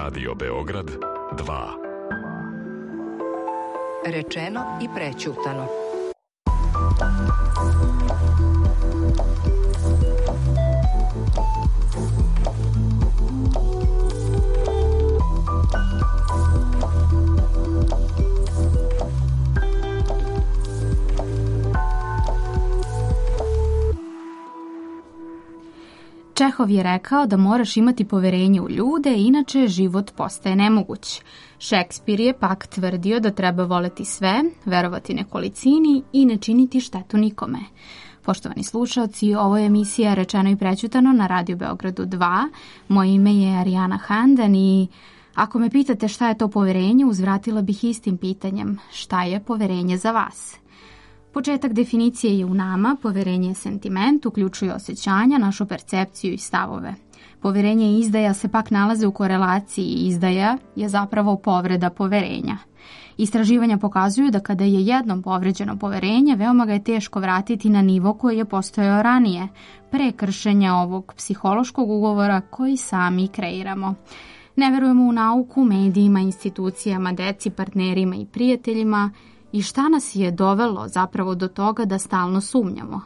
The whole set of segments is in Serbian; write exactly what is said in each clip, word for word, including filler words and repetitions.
Radio Beograd dva. Rečeno i prećutano. Čehov je rekao da moraš imati poverenje u ljude, inače život postaje nemoguć. Šekspir je pak tvrdio da treba voleti sve, verovati nekolicini i ne činiti štetu nikome. Poštovani slušaoci, ovo je emisija Rečeno i prećutano na Radio Beogradu dva. Moje ime je Arijana Handan i ako me pitate šta je to poverenje, uzvratila bih istim pitanjem: šta je poverenje za vas? Početak definicije je u nama. Poverenje je sentiment, uključuje osjećanja, našu percepciju i stavove. Poverenje i izdaja se pak nalaze u korelaciji i izdaja je zapravo povreda poverenja. Istraživanja pokazuju da kada je jednom povređeno poverenje, veoma ga je teško vratiti na nivo koji je postojao ranije, pre kršenja ovog psihološkog ugovora koji sami kreiramo. Ne verujemo u nauku, medijima, institucijama, deci, partnerima i prijateljima. I šta nas je dovelo zapravo do toga da stalno sumnjamo?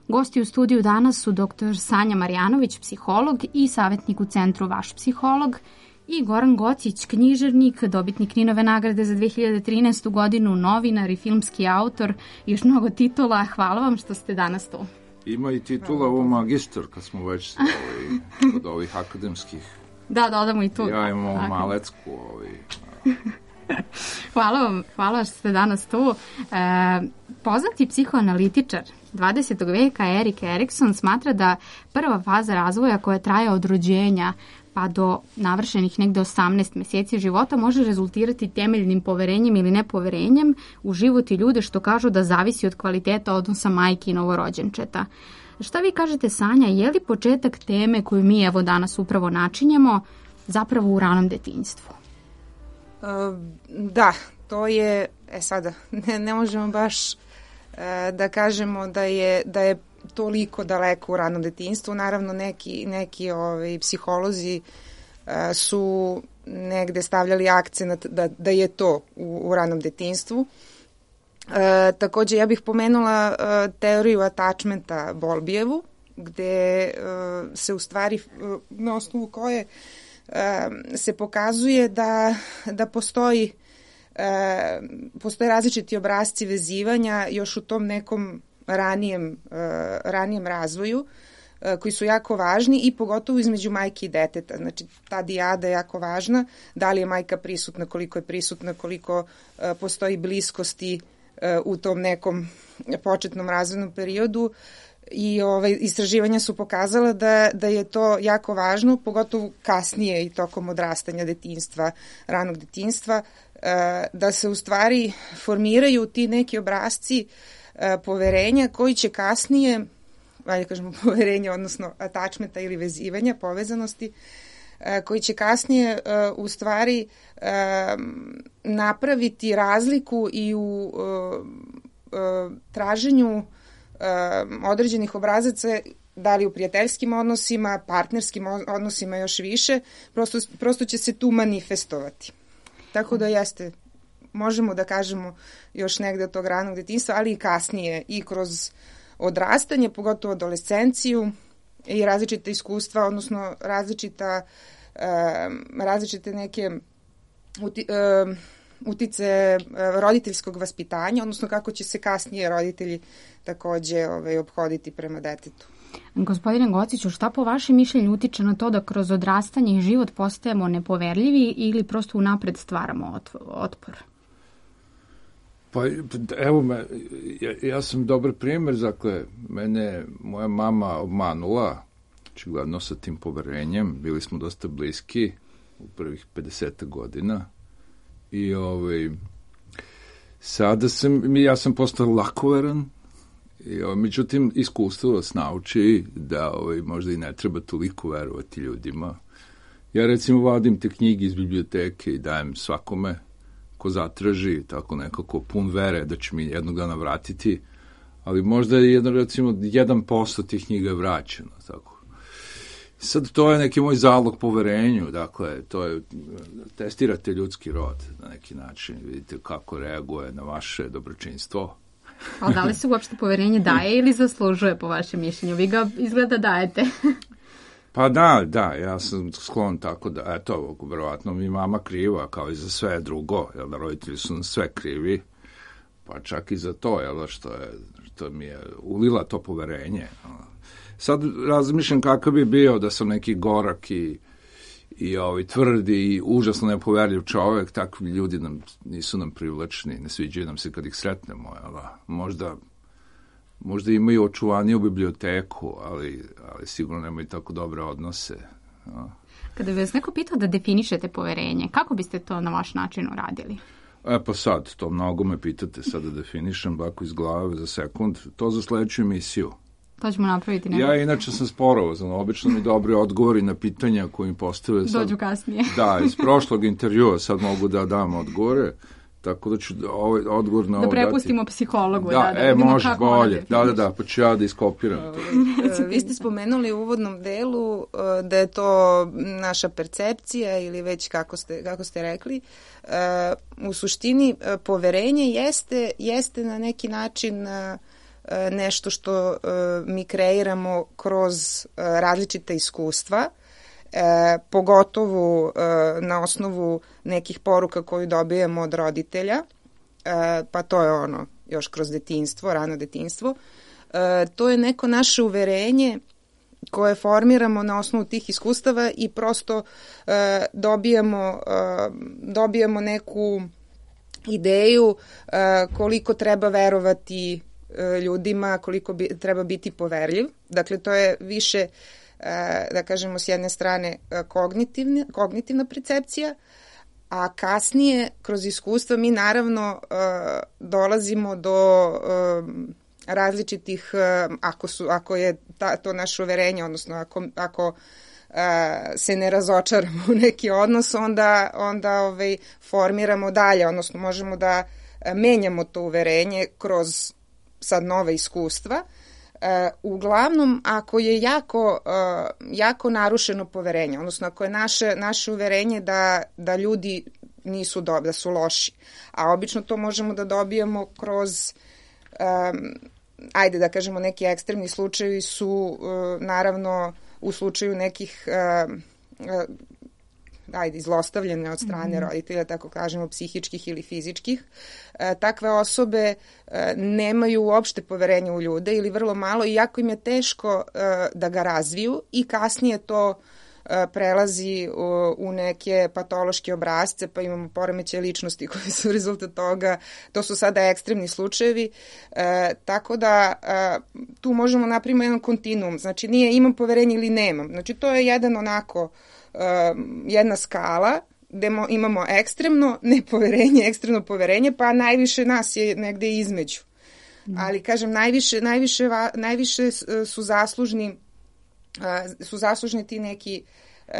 Gosti u studiju danas su doktor Sanja Marjanović, psiholog i savjetnik u centru Vaš psiholog, i Goran Gocić, književnik, dobitnik Ninove nagrade za dve hiljade trinaestu godinu, novinar i filmski autor i još mnogo titula. Hvala vam što ste danas tu. Ima i titula u magistar, kad smo već ovaj, od ovih akademskih. Da, dodamo i tu. Ja imam malecku. Ovaj. Hvala vam, hvala što ste danas tu. E, poznati psihoanalitičar dvadesetog veka Erik Erikson smatra da prva faza razvoja koja traje od rođenja pa do navršenih negde osamnaest meseci života može rezultirati temeljnim poverenjem ili nepoverenjem u život i ljude, što kažu da zavisi od kvaliteta odnosa majke i novorođenčeta. Šta vi kažete, Sanja, je li početak teme koju mi evo danas upravo načinjemo zapravo u ranom detinjstvu? Uh, da, to je, e sada, ne, ne možemo baš uh, da kažemo da je, da je toliko daleko u ranom detinjstvu. Naravno, neki, neki ovaj, psiholozi uh, su negde stavljali akcenat da, da je to u, u ranom detinjstvu. Uh, takođe, ja bih pomenula uh, teoriju attachmenta Bowlbyevu, gde uh, se u stvari, uh, na osnovu koje se pokazuje da, da postoji, e, postoje različiti obrasci vezivanja još u tom nekom ranijem, e, ranijem razvoju e, koji su jako važni i pogotovo između majke i deteta. Znači, ta dijada je jako važna. Da li je majka prisutna, koliko je prisutna, koliko e, postoji bliskosti e, u tom nekom početnom razvojnom periodu. I ovaj, istraživanja su pokazala da, da je to jako važno, pogotovo kasnije i tokom odrastanja detinjstva, ranog detinjstva, da se u stvari formiraju ti neki obrasci poverenja koji će kasnije, ajde kažemo poverenja, odnosno attachmenta ili vezivanja, povezanosti, koji će kasnije u stvari napraviti razliku i u traženju određenih obrazaca, da li u prijateljskim odnosima, partnerskim odnosima još više, prosto, prosto će se tu manifestovati. Tako da jeste, možemo da kažemo još negde od tog ranog detinjstva, ali i kasnije i kroz odrastanje, pogotovo adolescenciju i različite iskustva, odnosno različita, različite neke uti, utice roditeljskog vaspitanja, odnosno kako će se kasnije roditelji takođe ovaj, obhoditi prema detetu. Gospodine Gociću, šta po vašem mišljenju utiče na to da kroz odrastanje i život postajemo nepoverljivi ili prosto unapred stvaramo otpor? Pa evo, me, ja, ja sam dobar primjer, dakle, mene moja mama obmanula, očigledno sa tim poverenjem, bili smo dosta bliski u prvih pedeset godina i ovaj, sada sam, ja sam postao lakoveran. I, o, međutim, iskustvo vas nauči da ovaj, možda i ne treba toliko verovati ljudima. Ja recimo vadim te knjige iz biblioteke i dajem svakome ko zatraži, tako nekako pun vere da će mi jednog dana vratiti, ali možda je jedan, recimo, jedan posto tih knjiga vraćeno. Tako. Sad to je neki moj zalog poverenju, dakle, to je, testirate ljudski rod na neki način, vidite kako reaguje na vaše dobročinstvo. A da li se uopšte poverenje daje ili zaslužuje po vašem mišljenju? Vi ga izgleda dajete. Pa da, da, ja sam sklon tako da, eto, verovatno mi mama kriva, kao i za sve drugo, jel da, roditelji su nam sve krivi, pa čak i za to, jel, što je, što mi je ulila to poverenje. Sad razmišljam kakav bi bio da sam neki gorak i, i ovaj, tvrdi i užasno nepoverljiv čovek, takvi ljudi nam, nisu nam privlačni, ne sviđaju nam se kad ih sretnemo, jel da, možda... Možda imaju očuvaniju biblioteku, ali, ali sigurno nemaju tako dobre odnose. No. Kada bi vas neko pitao da definišete poverenje, kako biste to na vaš način uradili? E pa sad, to mnogo me pitate, sad da definišem bako iz glave za sekund, to za sledeću emisiju. To ćemo napraviti. Nego. Ja inače sam sporovazan, obično mi dobri odgovori na pitanja koje mi postave. Sad, dođu kasnije. Da, iz prošlog intervjua sad mogu da dam odgovore. Tako da ću ovaj odgovor na ovo dati. Da prepustimo psihologu. Da, da, da e, može, bolje. Da, da, da, pa ću ja da iskopiram. Vi ste spomenuli u uvodnom delu da je to naša percepcija ili već kako ste, kako ste rekli. U suštini, poverenje jeste, jeste na neki način nešto što mi kreiramo kroz različita iskustva. E, pogotovo e, na osnovu nekih poruka koju dobijemo od roditelja, e, pa to je ono još kroz detinjstvo, rano detinjstvo. E, to je neko naše uverenje koje formiramo na osnovu tih iskustava i prosto e, dobijamo, e, dobijamo neku ideju e, koliko treba verovati e, ljudima, koliko bi, treba biti poverljiv. Dakle, to je više da kažemo s jedne strane kognitivna, kognitivna percepcija, a kasnije kroz iskustva mi naravno dolazimo do različitih, ako, su, ako je ta, to naše uverenje, odnosno ako, ako se ne razočaramo u neki odnos, onda, onda ovaj, formiramo dalje, odnosno možemo da menjamo to uverenje kroz sad nove iskustva. Uh, uglavnom, ako je jako, uh, jako narušeno poverenje, odnosno ako je naše, naše uverenje da, da ljudi nisu dobri, da su loši, a obično to možemo da dobijemo kroz, um, ajde da kažemo, neki ekstremni slučajevi su uh, naravno u slučaju nekih uh, uh, ajde, zlostavljene od strane mm-hmm. roditelja, tako kažemo, psihičkih ili fizičkih. E, takve osobe e, nemaju uopšte poverenja u ljude ili vrlo malo i jako im je teško e, da ga razviju i kasnije to e, prelazi u, u neke patološke obrasce, pa imamo poremećaje ličnosti koji su rezultat toga. To su sada ekstremni slučajevi. E, tako da e, tu možemo napraviti jedan kontinuum. Znači nije imam poverenje ili nemam. Znači to je jedan onako Uh, jedna skala gde mo, imamo ekstremno nepoverenje, ekstremno poverenje, pa najviše nas je negde između. Mm. Ali, kažem, najviše, najviše, najviše su zaslužni, uh, su zaslužni ti neki uh,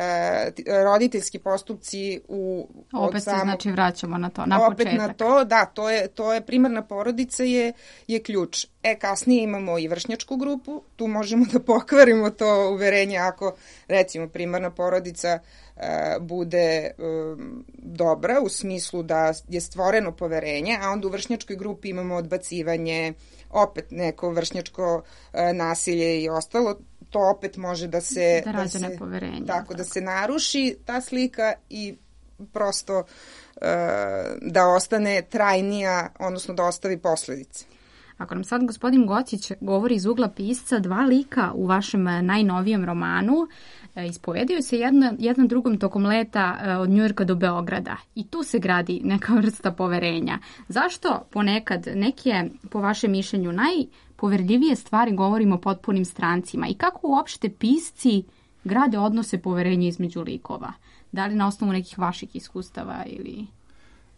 roditeljski postupci u opet se znači vraćamo na to, na opet početak. Na to, da, to je, to je primarna porodica je, je ključ. E, kasnije imamo i vršnjačku grupu, tu možemo da pokvarimo to uverenje ako, recimo, primarna porodica uh, bude um, dobra u smislu da je stvoreno poverenje, a onda u vršnjačkoj grupi imamo odbacivanje, opet neko vršnjačko uh, nasilje i ostalo, to opet može da se... Da rađe nepoverenje. Tako, tako, da se naruši ta slika i prosto uh, da ostane trajnija, odnosno da ostavi posledice. Ako nam sad gospodin Gocić govori iz ugla pisca, dva lika u vašem najnovijem romanu ispovedaju se jedna, jedan drugom tokom leta od Njujorka do Beograda i tu se gradi neka vrsta poverenja. Zašto ponekad neke, po vašem mišljenju, najpoverljivije stvari govorimo potpunim strancima i kako uopšte pisci grade odnose poverenja između likova? Da li na osnovu nekih vaših iskustava ili...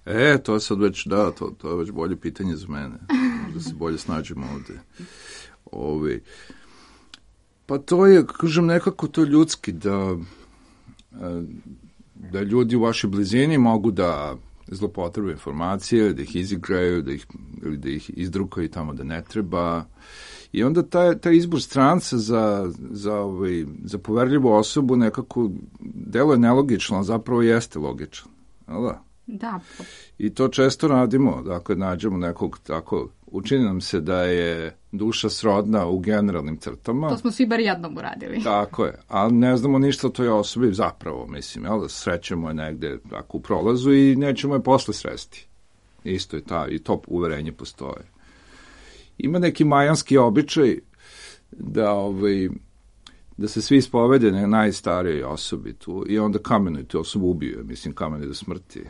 E, to sad već, da, to, to je već bolje pitanje za mene. Možda se bolje snađemo ovde. Ovi. Pa to je, kažem, nekako to ljudski, da, da ljudi u vašoj blizini mogu da zlopotrebe informacije, da ih izigraju, da ih, ili da ih izdrukaju tamo da ne treba. I onda taj, taj izbor stranca za, za, ovaj, za poverljivu osobu nekako deluje nelogično, a zapravo jeste logično. Da? Da. I to često radimo, dakle, nađemo nekog tako, učini nam se da je duša srodna u generalnim crtama. To smo svi bar jednom uradili. Tako je, ali ne znamo ništa o toj osobi zapravo, mislim, jel da srećemo je negde tako u prolazu i nećemo je posle sresti. Isto je ta, i to uverenje postoje. Ima neki majanski običaj da, ovaj, da se svi ispovede na najstarijoj osobi tu i onda kamenuju tu osobu, ubiju, mislim, kamenuju do smrti.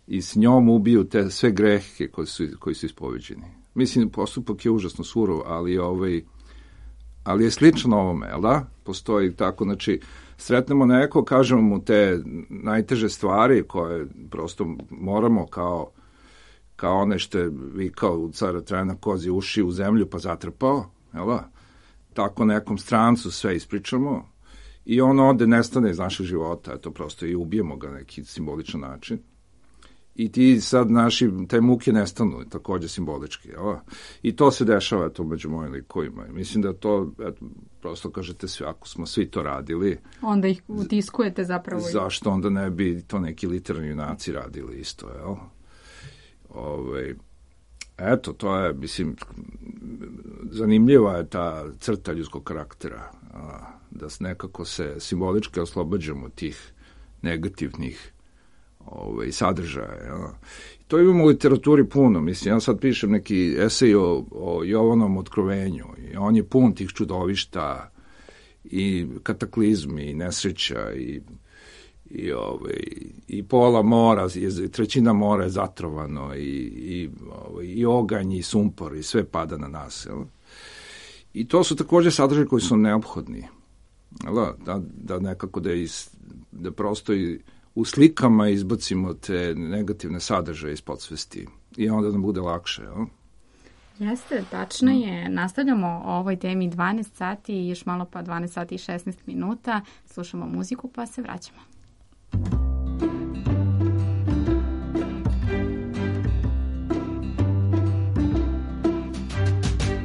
I s njom ubiju te sve grehe koji su, koji su ispoveđeni. Mislim, postupak je užasno surov, ali, ovaj, ali je sličan ovome, jel da? Postoji tako, znači, sretnemo neko, kažemo mu te najteže stvari koje prosto moramo kao, kao one što je vikao u cara Trajana kozi uši u zemlju pa zatrpao, jel da? Tako nekom strancu sve ispričamo i on ode, nestane iz našeg života, eto prosto i ubijemo ga na neki simboličan način. I ti sad naši, te muke nestanu, takođe simbolički. Jel? I to se dešava to među mojim likovima. Mislim da to, eto, prosto kažete sve, ako smo svi to radili... Onda ih utiskujete zapravo. Zašto onda ne bi to neki literarni junaci radili isto, jel? Ove, eto, to je, mislim, zanimljiva je ta crta ljudskog karaktera, a, da nekako se simbolički oslobađamo tih negativnih ovaj, sadržaja. Ja. To imamo u literaturi puno. Mislim, ja sad pišem neki esej o, o Jovanom otkrovenju i on je pun tih čudovišta i kataklizmi i nesreća i, i, ovaj, i pola mora, i trećina mora je zatrovano i, i, ovaj, i oganj i sumpor i sve pada na nas. Ja. I to su takođe sadržaje koji su neophodni. Ja, da, da nekako da, is, da prosto i u slikama izbacimo te negativne sadržaje iz podsvesti i onda nam bude lakše. Jel? Jeste, tačno je. Nastavljamo o ovoj temi dvanaest sati i još malo pa dvanaest sati i šesnaest minuta. Slušamo muziku pa se vraćamo.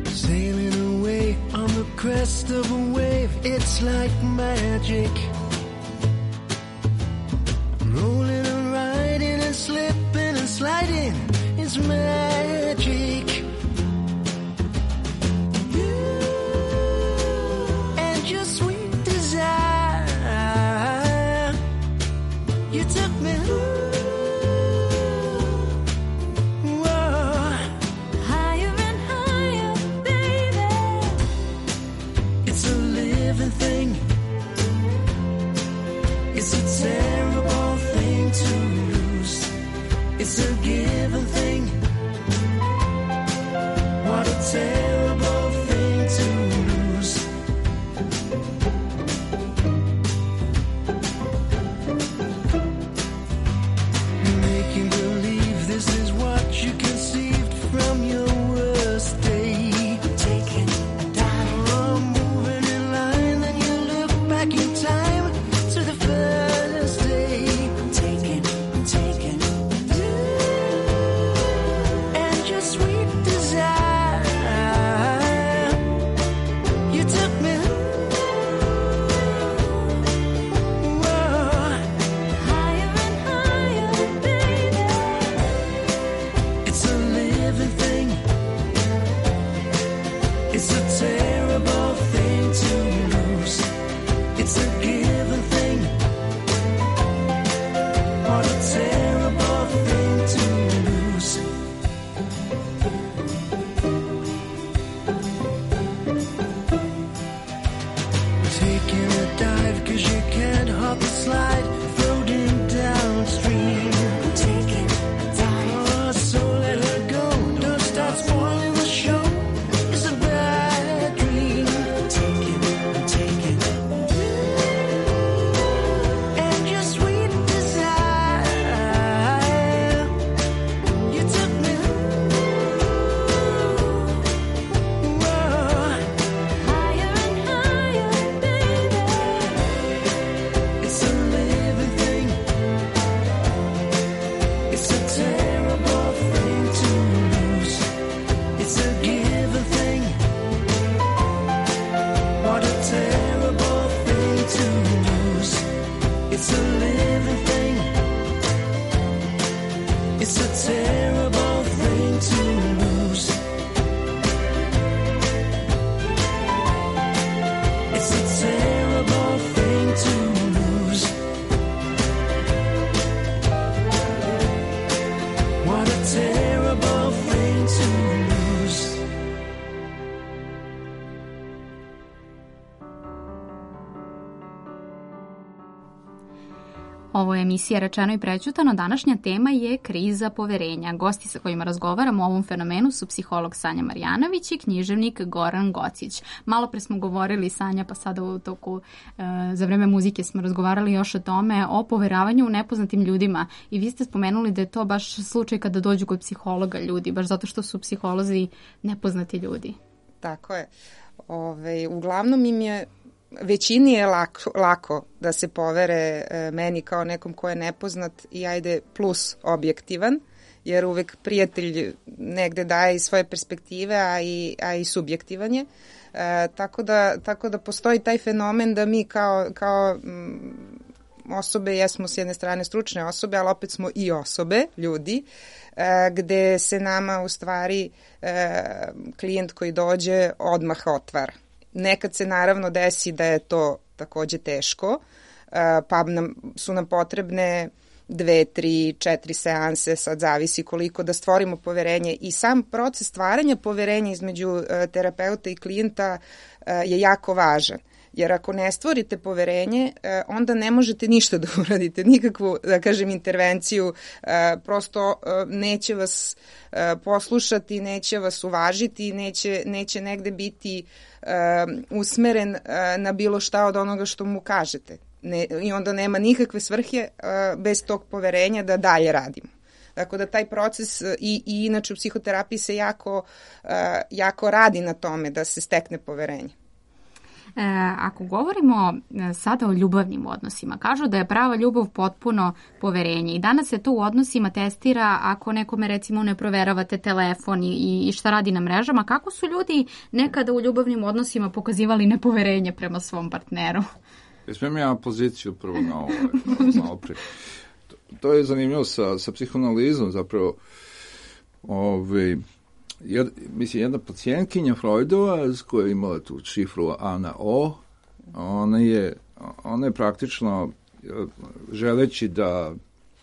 Sailing away on the crest of a wave, it's like magic. Rolling and riding and slipping and sliding is magic. You and your sweet desire, you took me whoa, higher and higher, baby. It's a living thing. Ovo je emisija Rečeno i prećutano. Današnja tema je kriza poverenja. Gosti sa kojima razgovaramo o ovom fenomenu su psiholog Sanja Marjanović i književnik Goran Gocić. Malo pre smo govorili, Sanja, pa sada u toku e, za vreme muzike smo razgovarali još o tome, o poveravanju u nepoznatim ljudima. I vi ste spomenuli da je to baš slučaj kada dođu kod psihologa ljudi, baš zato što su psiholozi nepoznati ljudi. Tako je. Ove, uglavnom im je većini je lako, lako da se povere e, meni kao nekom ko je nepoznat i ajde plus objektivan, jer uvek prijatelj negde daje i svoje perspektive, a i, a i subjektivan je. E, tako, da, tako da postoji taj fenomen da mi kao, kao m, osobe, jesmo s jedne strane stručne osobe, ali opet smo i osobe, ljudi, e, gde se nama u stvari e, klijent koji dođe odmah otvara. Nekad se naravno desi da je to takođe teško, pa nam, su nam potrebne dve, tri, četiri seanse, sad zavisi koliko, da stvorimo poverenje. I sam proces stvaranja poverenja između terapeuta i klijenta je jako važan. Jer ako ne stvorite poverenje, onda ne možete ništa da uradite, nikakvu, da kažem, intervenciju, prosto neće vas poslušati, neće vas uvažiti, neće, neće negde biti usmeren na bilo šta od onoga što mu kažete. Ne, i onda nema nikakve svrhe bez tog poverenja da dalje radimo. Tako da taj proces i, i inače u psihoterapiji se jako, jako radi na tome da se stekne poverenje. E, ako govorimo sada o ljubavnim odnosima, kažu da je prava ljubav potpuno poverenje i danas se to u odnosima testira ako nekome recimo ne proveravate telefon i, i šta radi na mrežama. Kako su ljudi nekada u ljubavnim odnosima pokazivali nepoverenje prema svom partneru? Smijem ja poziciju prvo na ovo, malo pre. To, to je zanimljivo sa, sa psihoanalizom zapravo. Ove, Jed, mislim, jedna pacijentkinja Freudova koja je imala tu šifru A na O, ona je, ona je praktično želeći da,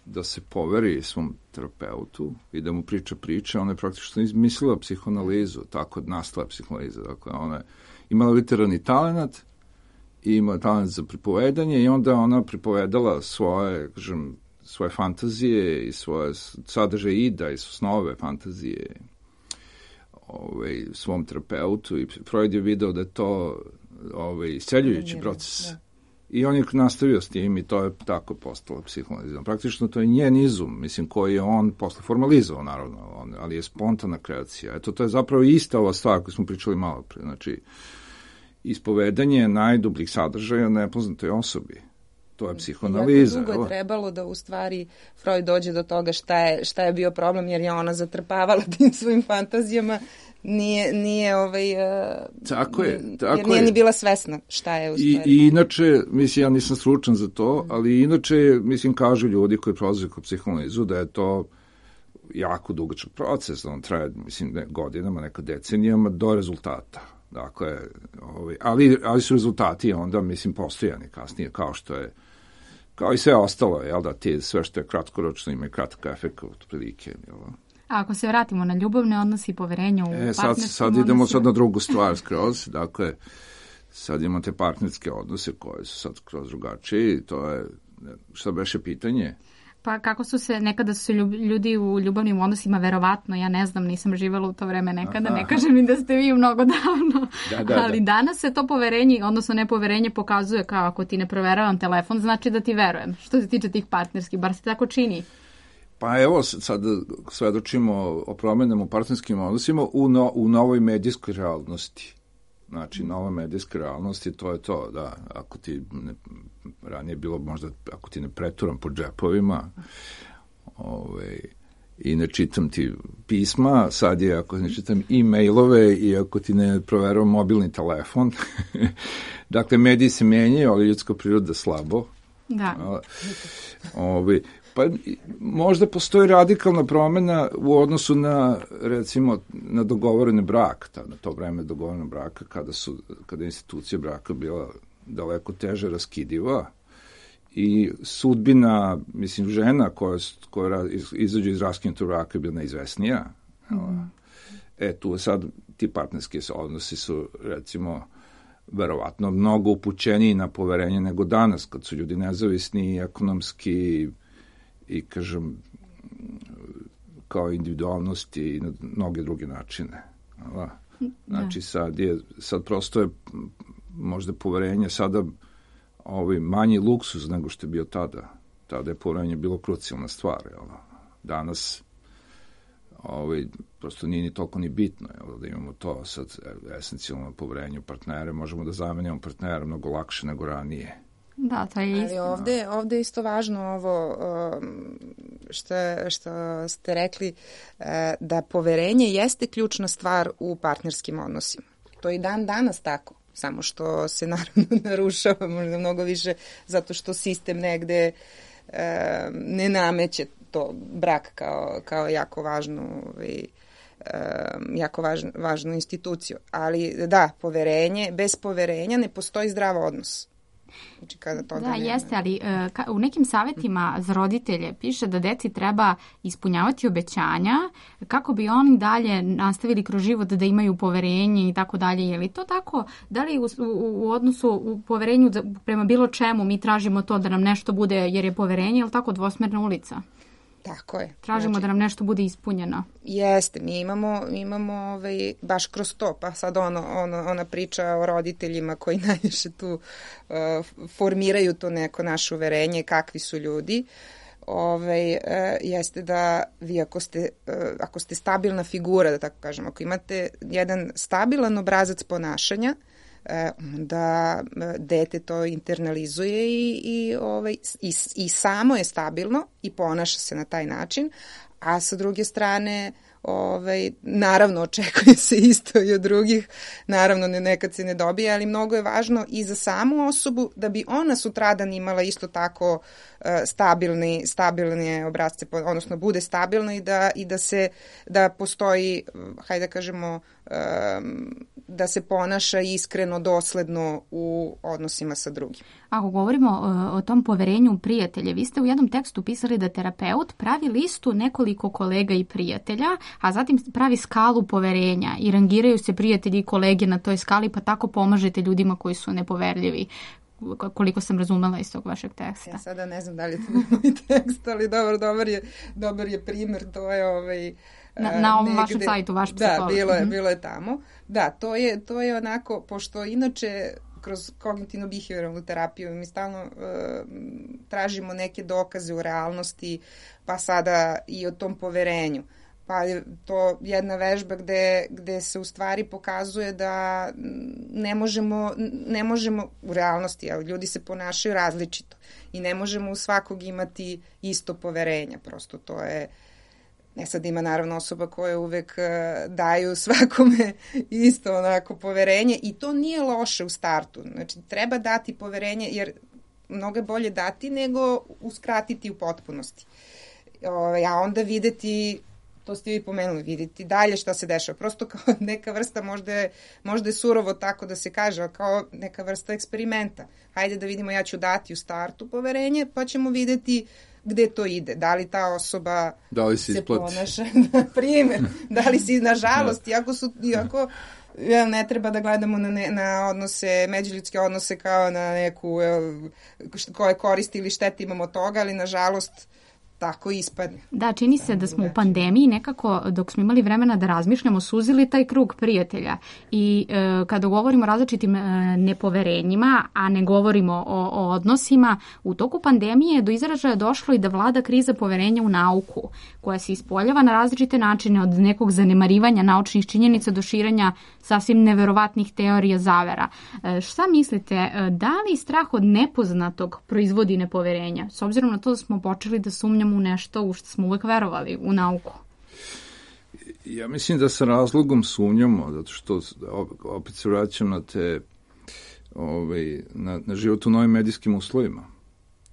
da se poveri svom terapeutu i da mu priča priče, ona je praktično izmislila psihoanalizu, tako nastala psihoanaliza. Dakle, ona je imala literarni talent i imala talent za pripovedanje i onda ona pripovedala svoje, kažem, svoje fantazije i svoje sadržaje ida i snove fantazije ovaj, svom terapeutu i Freud je video da je to ovaj, isceljujući proces. Da. I on je nastavio s tim i to je tako postalo psihoanalizam. Praktično to je njen izum, mislim, koji je on posle formalizovao, naravno, on, ali je spontana kreacija. Eto, to je zapravo ista ova stvar koju smo pričali malo pre. Znači, ispovedanje najdubljih sadržaja nepoznatoj osobi. To je psihoanaliza. Jako dugo je trebalo da u stvari Freud dođe do toga šta je, šta je bio problem, jer je ona zatrpavala tim svojim fantazijama, nije, nije ovaj, tako je, tako jer nije je. ni bila svesna šta je u stvari. I, i inače, mislim, ja nisam stručan za to, ali inače, mislim, kažu ljudi koji prolaze kod psihoanalizu da je to jako dugačak proces, da on traje, mislim, ne, godinama, neka decenijama do rezultata. Dakle, ovaj, ali, ali su rezultati onda, mislim, postojani kasnije, kao što je, kao i sve ostalo, jel da, ti sve što je kratkoročno ima i kratak efekt od prilike, jel da? A ako se vratimo na ljubavne odnose i poverenje u e, sad, partnerskim sad idemo odnosima... sad na drugu stvar skroz, dakle, sad imamo te partnerske odnose koje su sad skroz drugačije i to je, šta beše pitanje? Pa kako su se, nekada su ljudi u ljubavnim odnosima, verovatno, ja ne znam, nisam živela u to vreme nekada, aha, ne kažem mi da ste vi mnogo davno, da, da, ali da. Danas se to poverenje, odnosno nepoverenje pokazuje kao ako ti ne proveravam telefon, znači da ti verujem. Što se tiče tih partnerskih, bar se tako čini. Pa evo, sad svedočimo o promenama u partnerskim odnosima u, no, u novoj medijskoj realnosti. Znači, nova medijska realnost i to je to, da, ako ti ne, ranije bilo možda, ako ti ne preturam po džepovima ovaj, i ne čitam ti pisma, sad je ako ne čitam e-mailove i ako ti ne proveravam mobilni telefon. Dakle, mediji se menjaju, ali ljudska priroda slabo. Da. Ovaj, pa možda postoji radikalna promena u odnosu na, recimo, na dogovoreni brak, ta, na to vreme dogovorenog braka, kada, su, kada je institucija braka bila daleko teže raskidiva i sudbina, mislim, žena koja, koja izađe iz raskinutog braka je bila neizvesnija. Mm. E, tu sad ti partnerski odnosi su, recimo, verovatno mnogo upućeniji na poverenje nego danas, kad su ljudi nezavisni i ekonomski i, kažem, kao individualnosti i na mnoge druge načine. Da. Znači, sad je, sad prosto je možda poverenje sada ovaj, manji luksuz nego što je bio tada. Tada je poverenje bilo krucijalna stvar. Jel? Danas ovaj, prosto nije ni toliko ni bitno jel? Da imamo to sad esencijalno poverenje u partnere. Možemo da zamenjamo partnera mnogo lakše nego ranije. Da, to je isto. Ali ovde, ovde je isto važno ovo što, što ste rekli, da poverenje jeste ključna stvar u partnerskim odnosima. To je i dan danas tako, samo što se naravno narušava možda mnogo više zato što sistem negde ne nameće to brak kao, kao jako važnu ovaj, jako važnu, važnu instituciju. Ali da, poverenje, bez poverenja ne postoji zdrav odnos. Znači, kada to da, da jeste, ali uh, ka, u nekim savjetima za roditelje piše da deci treba ispunjavati obećanja kako bi oni dalje nastavili kroz život da imaju poverenje i tako dalje. Je li to tako? Da li u, u, u odnosu u poverenju prema bilo čemu mi tražimo to da nam nešto bude jer je poverenje, je li tako dvosmerna ulica? Tako je. Tražimo znači, da nam nešto bude ispunjeno. Jeste, mi imamo, imamo ovaj, baš kroz to, pa sad ono, ono, ona priča o roditeljima koji najviše tu uh, formiraju to neko naše uverenje, kakvi su ljudi, ovaj, uh, jeste da vi ako ste, uh, ako ste stabilna figura, da tako kažem, ako imate jedan stabilan obrazac ponašanja, da dete to internalizuje i, i, ovaj, i, i samo je stabilno i ponaša se na taj način, a sa druge strane ovaj, naravno očekuje se isto i od drugih, naravno ne, nekad se ne dobije, ali mnogo je važno i za samu osobu da bi ona sutradan imala isto tako uh, stabilni, stabilne obrazce, odnosno bude stabilna i da, i da se, da postoji, hajde da kažemo, um, da se ponaša iskreno, dosledno u odnosima sa drugim. Ako govorimo o, o tom poverenju prijatelja, vi ste u jednom tekstu pisali da terapeut pravi listu nekoliko kolega i prijatelja, a zatim pravi skalu poverenja i rangiraju se prijatelji i kolege na toj skali, pa tako pomažete ljudima koji su nepoverljivi, koliko sam razumela iz tog vašeg teksta. Ja sada ne znam da li je to moj tekst, ali dobar, dobar, je, dobar je primjer, to je ovaj... Na, na ovom negde, vašem sajtu, vaš psiholog. Da, bilo je, bilo je tamo. Da, to je, to je onako, pošto inače kroz kognitivno-behavioralnu terapiju mi stalno uh, tražimo neke dokaze u realnosti, pa sada i o tom poverenju. Pa je to jedna vežba gde, gde se u stvari pokazuje da ne možemo, ne možemo u realnosti, ali ljudi se ponašaju različito i ne možemo u svakog imati isto poverenja. Prosto to je... Ne sad ima naravno osoba koje uvek uh, daju svakome isto onako poverenje i to nije loše u startu. Znači treba dati poverenje jer mnogo je bolje dati nego uskratiti u potpunosti. O, a onda videti, to ste vi pomenuli, videti dalje šta se dešava. Prosto kao neka vrsta, možda je, možda je surovo tako da se kaže, kao neka vrsta eksperimenta. Hajde da vidimo, ja ću dati u startu poverenje pa ćemo videti gde to ide, da li ta osoba da li se isplati? Ponaša, na primjer, da li si, nažalost, iako su, iako ja, ne treba da gledamo na, ne, na odnose, međuljudske odnose kao na neku koje koristi ili štete imamo toga, ali nažalost tako ispadne. Da, čini se da smo u pandemiji nekako, dok smo imali vremena da razmišljamo, suzili taj krug prijatelja i e, kada govorimo o različitim e, nepoverenjima, a ne govorimo o, o odnosima, u toku pandemije do izražaja došlo i da vlada kriza poverenja u nauku, koja se ispoljava na različite načine, od nekog zanemarivanja naučnih činjenica do širenja sasvim neverovatnih teorija zavera. E, šta mislite, da li strah od nepoznatog proizvodi nepoverenja, s obzirom na to da smo počeli da sumnjamo u nešto u što smo uvek verovali, u nauku? Ja mislim da sa razlogom sumnjamo, zato što opet se vraćam na te ovaj, na, na život u novim medijskim uslovima.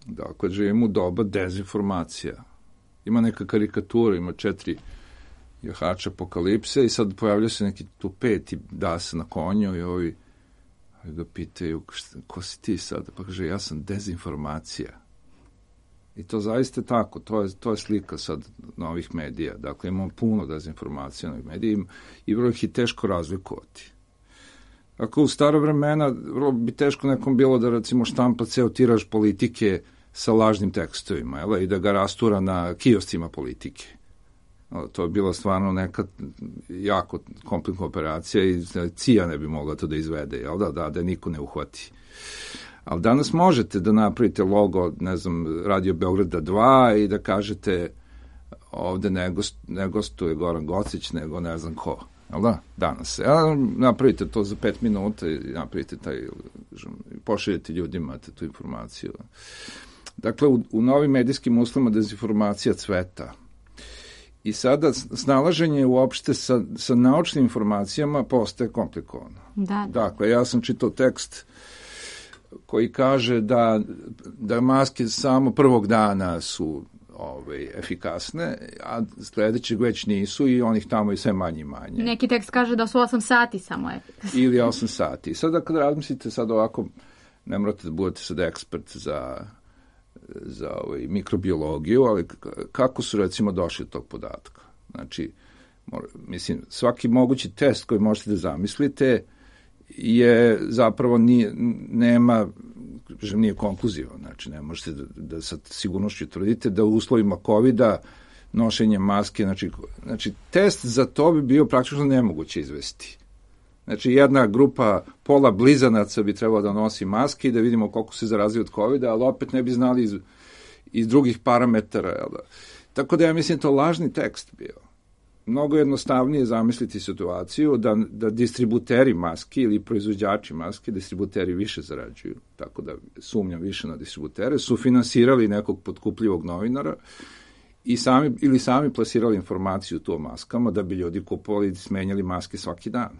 Dakle, živimo u doba dezinformacija. Ima neka karikatura, ima četiri jahača apokalipse i sad pojavlja se neki tu peti das na konju i ovi ga pitaju, šta, ko si ti sad? Pa kaže, ja sam dezinformacija. I to zaista je tako, to je, to je slika sad novih medija. Dakle, imamo puno dezinformacija novih medija i vrlo ih je teško razlikovati. Ako u staro vremena vrlo bi teško nekom bilo da recimo štampa ceo tiraž politike sa lažnim tekstovima, jel? I da ga rastura na kioscima politike. To je bila stvarno neka jako komplikna operacija i C I A ne bi mogla to da izvede, jel da, da, da niko ne uhvati. Ali danas možete da napravite logo, ne znam, Radio Beograda dva i da kažete ovde ne, gost, ne gostuje Goran Gocić, nego ne znam ko. Jel da? Danas. Ja, napravite to za pet minuta i napravite taj, pošaljete ljudima tu informaciju. Dakle, u, u novim medijskim uslovima dezinformacija cveta. I sada snalaženje uopšte sa, sa naučnim informacijama postaje komplikovano. Da. Dakle, ja sam čitao tekst koji kaže da, da maske samo prvog dana su ovaj, efikasne, a sledećeg već nisu i onih tamo i sve manje i manje. Neki tekst kaže da su osam sati samo efikasne. Ili osam sati. Sada kad razmislite sad ovako, ne morate da budete sad ekspert za, za ovaj, mikrobiologiju, ali kako su recimo došli do tog podatka? Znači, mora, mislim, svaki mogući test koji možete da zamislite je zapravo nije, nema, kažem, nije konkluzivan. Znači, ne možete da, da sa sigurnošću tvrdite da u uslovima kovida nošenje maske, znači, znači, test za to bi bio praktično nemoguće izvesti. Znači, jedna grupa pola blizanaca bi trebalo da nosi maske i da vidimo koliko se zarazio od kovida, ali opet ne bi znali iz, iz drugih parametara. Jel da? Tako da ja mislim to lažni tekst bio. Mnogo jednostavnije zamisliti situaciju da, da distributeri maski ili proizvođači maske, distributeri više zarađuju, tako da sumnjam više na distributere, su finansirali nekog potkupljivog novinara i sami, ili sami plasirali informaciju tu o maskama da bi ljudi kupovali i smenjali maske svaki dan.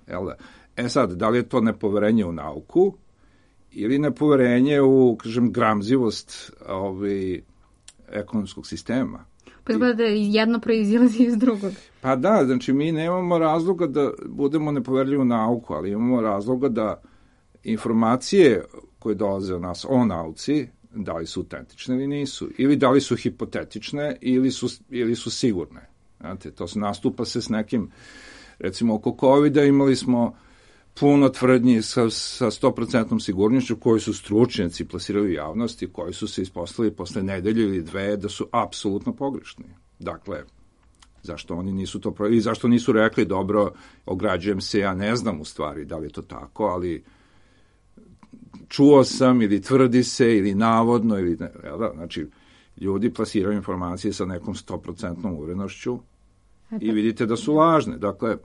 Jel da? E sad, da li je to nepoverenje u nauku ili nepoverenje u, kažem, gramzivost ovaj, ekonomskog sistema? Pa izgleda da jedno proizilazi iz drugog. Pa da, znači mi nemamo razloga da budemo nepoverljivi u nauku, ali imamo razloga da informacije koje dolaze od nas o nauci, da li su autentične ili nisu, ili da li su hipotetične ili su, ili su sigurne. Znate, to se nastupa se s nekim, recimo oko kovida imali smo puno tvrdnji sa, sa sto posto sigurnošću koji su stručnjaci plasirali u javnosti, koji su se ispostavili posle nedelje ili dve da su apsolutno pogrešni. Dakle, zašto oni nisu to provjerili i zašto nisu rekli dobro, ograđujem se, ja ne znam u stvari da li je to tako, ali čuo sam ili tvrdi se ili navodno ili ne, da, znači ljudi plasiraju informacije sa nekom sto posto uverenošću i vidite da su lažne. Dakle,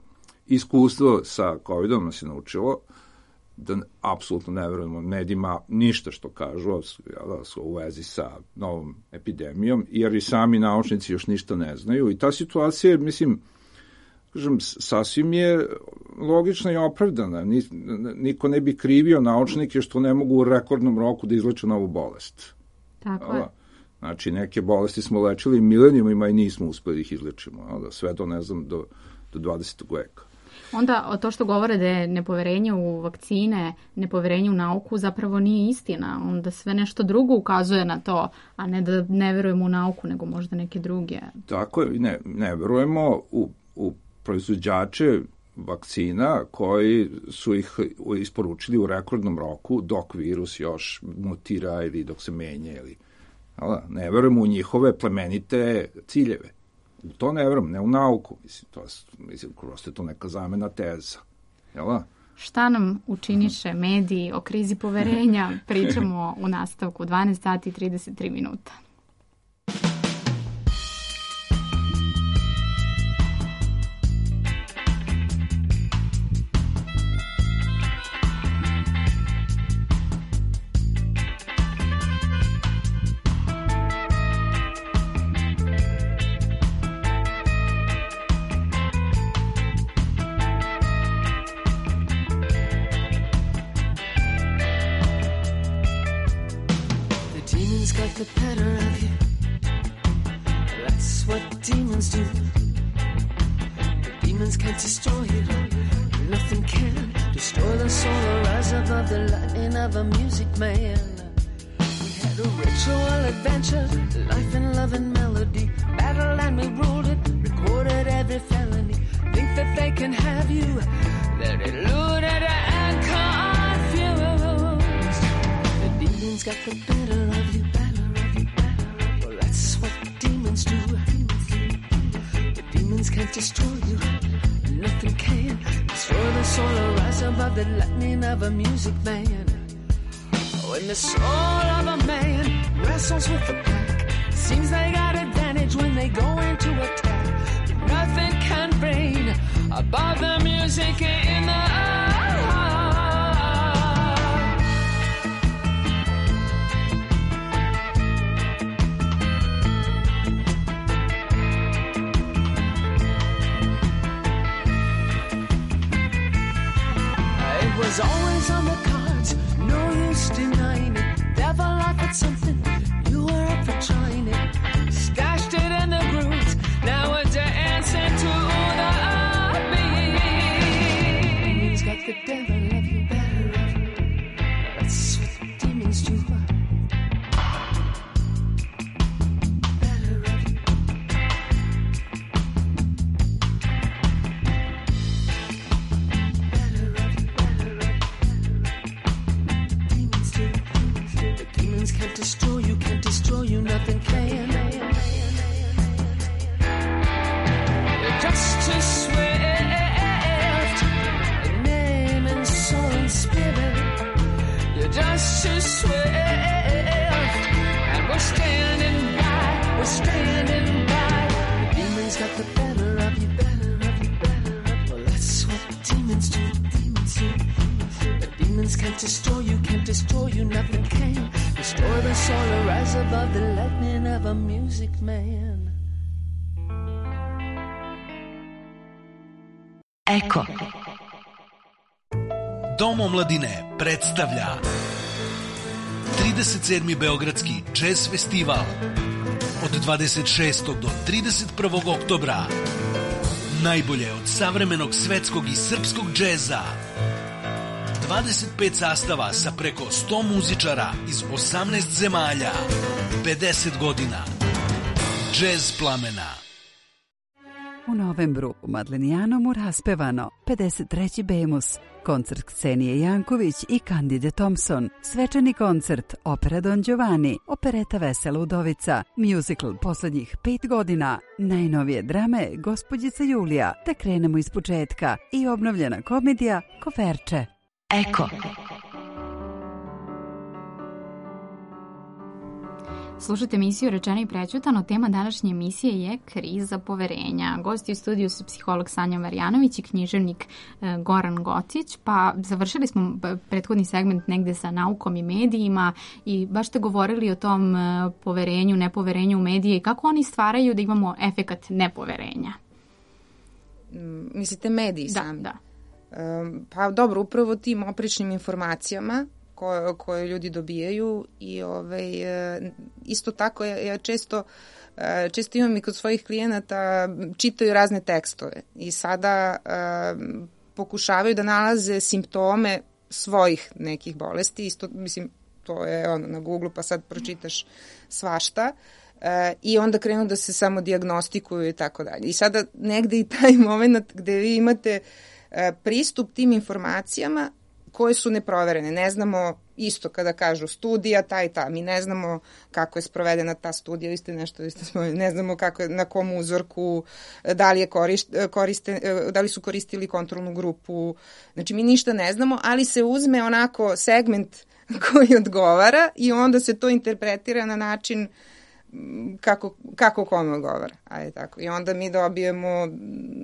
iskustvo sa covidom nas je naučilo da apsolutno ne verujemo medijima ništa što kažu da su u vezi sa novom epidemijom, jer i sami naučnici još ništa ne znaju. I ta situacija, mislim, kažem, sasvim je logična i opravdana. Niko ne bi krivio naučnike što ne mogu u rekordnom roku da izleče novu bolest. Tako je. Znači, neke bolesti smo lečili milenijumima i nismo uspeli ih izlečimo. Da, sve to, ne znam, do, do dvadesetog veka. Onda to što govore da je nepoverenje u vakcine, nepoverenje u nauku zapravo nije istina. Onda sve nešto drugo ukazuje na to, a ne da ne verujemo u nauku, nego možda neke druge. Tako je, ne, ne verujemo u, u proizvođače vakcina koji su ih isporučili u rekordnom roku dok virus još mutira ili dok se menja. Ili, ne verujemo u njihove plemenite ciljeve. U to ne verujem, ne u nauku. Mislim, to, mislim, prosto je to neka zamena teza. Jel da? Šta nam učiniše mediji o krizi poverenja? Pričamo u nastavku dvanaest sati i trideset tri minuta. The better of you. That's what demons do. The demons can't destroy you. Nothing can destroy the soul or rise above the lightning of a music man. We had a ritual adventure, life and love and melody. Battle and we ruled it, recorded every felony. Think that they can have you, that eluded got the better of you, better of you, better of you. Well, that's what demons do. The demons can't destroy you, nothing can destroy the soul or rise above the lightning of a music man. When the soul of a man wrestles with the pack, seems they got advantage when they go into attack. Nothing can reign above the music in the It was always on the cards, no use denying it. Devil offered something, you were up for trying it. Stashed it in the grooves, now we're dancing to the beat. Demons got the devil of you, better of you. That's what demons do. Better of you. Better of you, better of you. Demons do, demons do. The demons can't destroy you, can't destroy you, nothing can. You're just too swift in name and soul and spirit. You're just too swift, and we're standing by, we're standing by. The demons got the better of you, better of you, better of you. Well, that's what demons do, demons do, demons do. The demons can't destroy you, can't destroy you, nothing can destroy the soul or rise above the lightning of a music man. Eko. Dom omladine predstavlja trideset sedmi Beogradski jazz festival od dvadeset šestog do trideset prvog oktobra. Najbolje od savremenog svetskog i srpskog džeza. dvadeset pet sastava sa preko sto muzičara iz osamnaest zemalja. pedeset godina. Džez plamena. U novembru u Madlenijanomu raspevano pedeset treći Bemus, koncert Ksenije Janković i Kandide Thompson, svečani koncert Opera Don Giovanni, opereta Vesela udovica, musical poslednjih pet godina, najnovije drame Gospođica Julija, te krenemo iz početka i obnovljena komedija Koferče. Eko. Slušajte emisiju Rečeno i prećutano. Tema današnje emisije je kriza poverenja. Gosti u studiju su psiholog Sanja Marjanović i književnik Goran Gocić. Pa završili smo prethodni segment negde sa naukom i medijima i baš ste govorili o tom poverenju, nepoverenju u medije i kako oni stvaraju da imamo efekat nepoverenja. Mislite mediji da, sami? Da, Pa dobro, upravo tim oprečnim informacijama koje, koje ljudi dobijaju i ovaj, isto tako ja, ja često, često imam i kod svojih klijenata, čitaju razne tekstove i sada um, pokušavaju da nalaze simptome svojih nekih bolesti, isto mislim to je ono na Google pa sad pročitaš svašta. Uh, i onda krenu da se samo dijagnostikuju i tako dalje. I sada negde i taj moment gde vi imate uh, pristup tim informacijama koje su neproverene. Ne znamo isto kada kažu studija ta i ta. Mi ne znamo kako je sprovedena ta studija. Vi ste nešto, vi ste spomenuli. Ne znamo kako je, na kom uzorku, da li, je korist, koriste, da li su koristili kontrolnu grupu. Znači mi ništa ne znamo, ali se uzme onako segment koji odgovara i onda se to interpretira na način kako, kako kome odgovara. Ajde, tako. I onda mi dobijemo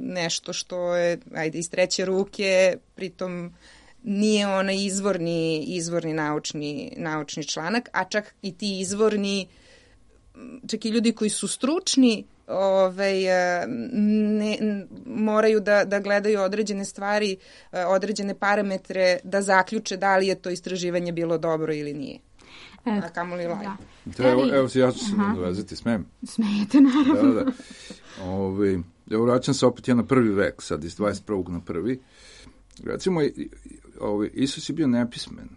nešto što je ajde, iz treće ruke, pritom nije onaj izvorni, izvorni naučni, naučni članak, a čak i ti izvorni, čak i ljudi koji su stručni, ovaj, ne, moraju da, da gledaju određene stvari, određene parametre, da zaključe da li je to istraživanje bilo dobro ili nije. E, a kamo li laj? Da. Evo, evo se, ja ću se nadvezati, smem? Smijete, naravno. Da, da. Ove, evo, vraćam se opet ja na prvi vek, sad iz dvadeset prvog na prvi. Recimo, ovaj, Isus je bio nepismen,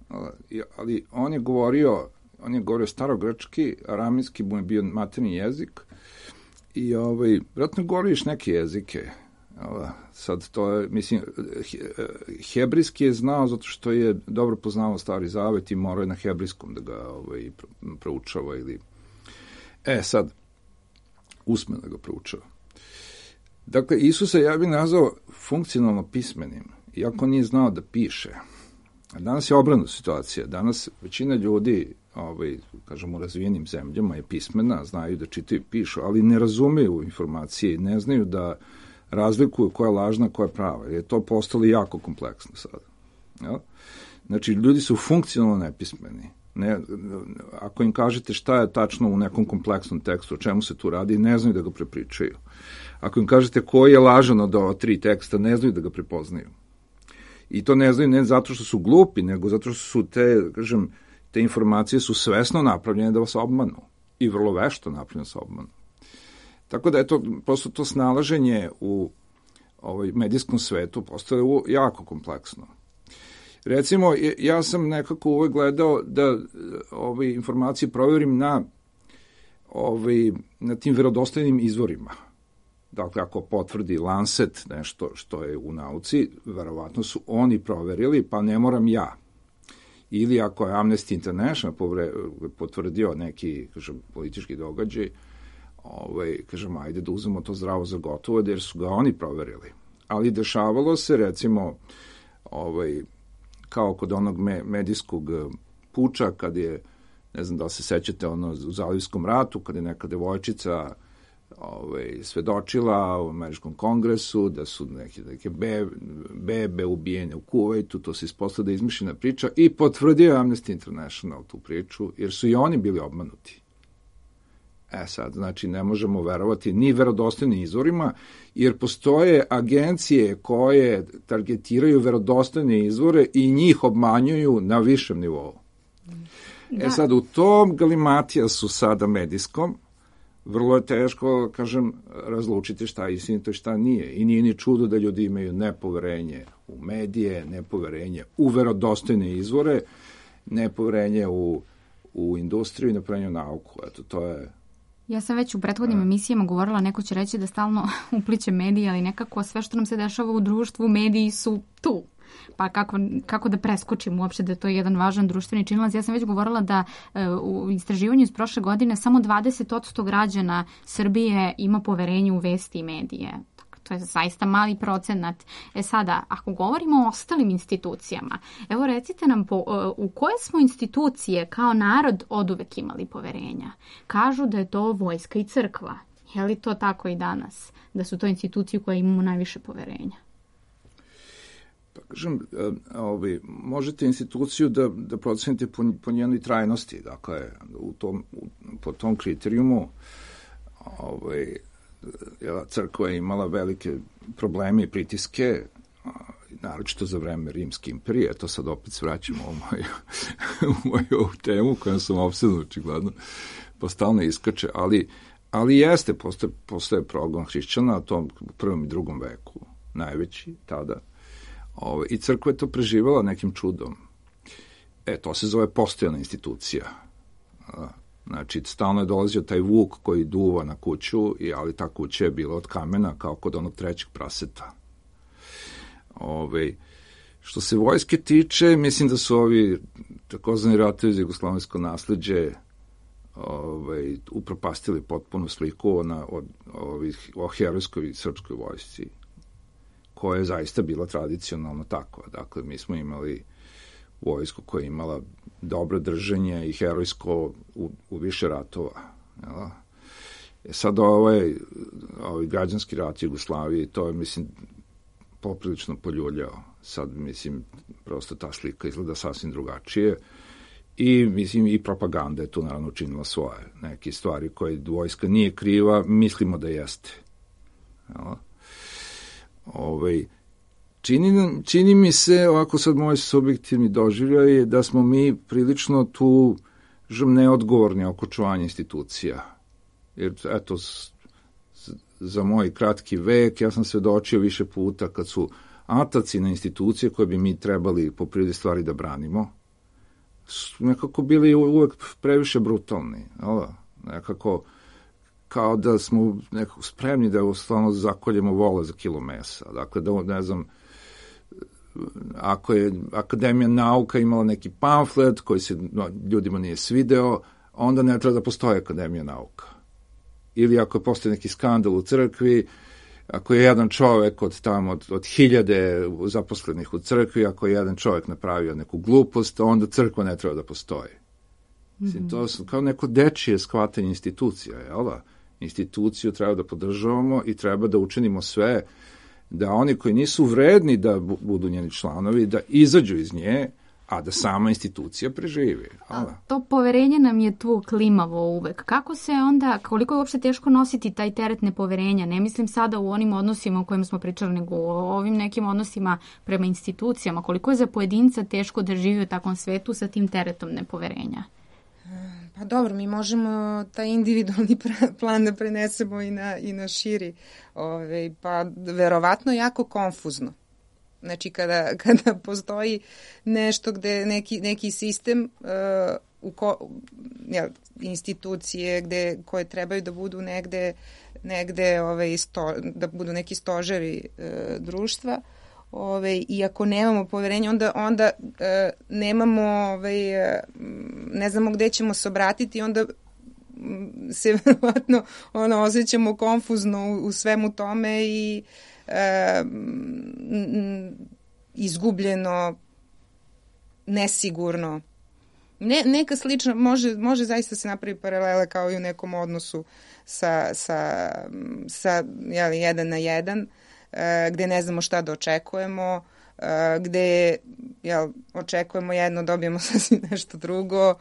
ali, ali on je govorio, on je govorio starogrčki, aramijski mu je bio materni jezik i ovaj, vratno govoriš neke jezike, Sad to je, mislim, hebrijski je znao zato što je dobro poznao Stari Zavet i morao je na hebrijskom da ga ovaj, proučava ili... E, sad, usmeno da ga proučava. Dakle, Isusa ja bih nazvao funkcionalno pismenim, iako nije znao da piše. A danas je obrnuta situacija. Danas većina ljudi, ovaj, kažem, u razvijenim zemljama je pismena, znaju da čitaju i pišu, ali ne razumeju informacije, ne znaju da razlikuju koja je lažna, koja je prava. Jer je to postalo jako kompleksno sada. Ja? Znači, ljudi su funkcionalno nepismeni. Ne, ako im kažete šta je tačno u nekom kompleksnom tekstu, o čemu se tu radi, ne znaju da ga prepričaju. Ako im kažete koji je lažan od ova tri teksta, ne znaju da ga prepoznaju. I to ne znaju ne zato što su glupi, nego zato što su te, kažem, te informacije su svesno napravljene da vas obmanu. I vrlo vešto napravljene da vas obmanu. Tako da je to, prosto to snalaženje u ovaj medijskom svetu postalo jako kompleksno. Recimo, ja sam nekako uvek gledao da ove informacije proverim na, ove, na tim verodostojnim izvorima. Dakle, ako potvrdi Lancet nešto što je u nauci, verovatno su oni proverili, pa ne moram ja. Ili ako je Amnesty International potvrdio neki, kažem, politički događaj, ovaj, kažem, ajde da uzmemo to zdravo za gotovo, jer su ga oni proverili. Ali dešavalo se, recimo, ovaj, kao kod onog me, medijskog puča, kad je, ne znam da li se sećate, ono, u Zalivskom ratu, kad je neka devojčica ovaj, svedočila u američkom kongresu, da su neke, neke be, bebe ubijene u Kuvajtu, to se ispostavlja da je izmišljena priča, i potvrdio Amnesty International tu priču, jer su i oni bili obmanuti. E sad, znači, ne možemo verovati ni verodostojnim izvorima, jer postoje agencije koje targetiraju verodostojne izvore i njih obmanjuju na višem nivou. Da. E sad, u tom galimatija su sada medijskom, vrlo je teško, kažem, razlučiti šta je istinito i šta nije. I nije ni čudo da ljudi imaju nepoverenje u medije, nepoverenje u verodostojne izvore, nepoverenje u, u industriju i nepoverenje u nauku. Eto, to je... Ja sam već u prethodnim A. emisijama govorila, neko će reći da stalno upliče medije, ali nekako sve što nam se dešava u društvu, mediji su tu. Pa kako, kako da preskočim uopšte da to je jedan važan društveni činilac. Ja sam već govorila da e, u istraživanju iz prošle godine samo dvadeset posto građana Srbije ima poverenje u vesti i medije. To je zaista mali procenat. E sada, ako govorimo o ostalim institucijama, evo recite nam po, u koje smo institucije kao narod oduvek imali poverenja? Kažu da je to vojska i crkva. Je li to tako i danas? Da su to institucije koje imamo najviše poverenja? Pa kažem, ovi, možete instituciju da, da procenite po, po njenoj trajnosti. Dakle, u tom, u, po tom kriterijumu ovaj, crkva je imala velike probleme i pritiske, naročito za vreme Rimske imperije. To sad opet svraćamo u moju, u moju temu kojom sam opsedno očigledno, pa stalno iskače, ali, ali jeste, postoje, postoje progon hrišćana u tom prvom i drugom veku, najveći tada. Ove, I crkva je to preživala nekim čudom. E, to se zove postojana institucija. Znači, stalno je dolazio taj vuk koji duva na kuću, ali ta kuća je bila od kamena, kao kod onog trećeg praseta. Ove, što se vojske tiče, mislim da su ovi takozvani ratovi za jugoslovensko nasleđe ove, upropastili potpuno sliku na, od, ovih, o herojskoj srpskoj vojsci, koja je zaista bila tradicionalno takva. Dakle, mi smo imali vojsku koja je imala dobro držanje i herojsko u, u više ratova. Jel? E sad ovaj, ovaj građanski rat Jugoslavije, to je, mislim, poprilično poljuljao. Sad, mislim, prosto ta slika izgleda sasvim drugačije. I, mislim, i propaganda je tu naravno učinila svoje. Neke stvari koje vojska nije kriva, mislimo da jeste. Jel? Ovaj, čini, čini mi se, ovako sad moj subjektivni doživljaj je da smo mi prilično tu žem neodgovorni oko čuvanja institucija. Jer, eto, z, z, za moj kratki vek ja sam svedočio više puta kad su ataci na institucije koje bi mi trebali po prirodi stvari da branimo, su nekako bili uvek previše brutalni. Ali, nekako kao da smo nekako spremni da stvarno zakoljemo vola za kilo mesa. Dakle, da, ne znam, ako je Akademija nauka imala neki pamflet koji se no, ljudima nije svideo, onda ne treba da postoji Akademija nauka. Ili ako je postoji neki skandal u crkvi, ako je jedan čovek od tamo, od, od hiljade zaposlenih u crkvi, ako je jedan čovek napravio neku glupost, onda crkva ne treba da postoji. Mm-hmm. To su kao neko dečije shvatanje institucija, jel da? Instituciju treba da podržavamo i treba da učinimo sve da oni koji nisu vredni da budu njeni članovi, da izađu iz nje, a da sama institucija preživi. A to poverenje nam je tu klimavo uvek. Kako se onda, koliko je uopšte teško nositi taj teret nepoverenja? Ne mislim sada u onim odnosima o kojima smo pričali, nego o ovim nekim odnosima prema institucijama. Koliko je za pojedinca teško da živi u takvom svetu sa tim teretom nepoverenja? Pa dobro, mi možemo taj individualni plan da prenesemo i na, i na širi. Ove, pa verovatno jako konfuzno. Znači, kada, kada postoji nešto gde neki, neki sistem, uh, u ko, ja, institucije gde, koje trebaju da budu negde, negde ove, sto, da budu neki stoževi uh, društva, ove, i ako nemamo poverenje, onda, onda uh, nemamo, ove, ne znamo gde ćemo se obratiti, onda se verovatno ono, osjećamo konfuzno u, u svemu tome i E, izgubljeno, nesigurno. Ne, neka slična, može, može zaista se napravi paralela kao i u nekom odnosu sa, sa, sa jeli, jedan na jedan, e, gde ne znamo šta da očekujemo, e, gde jel, očekujemo jedno, dobijemo sasvim nešto drugo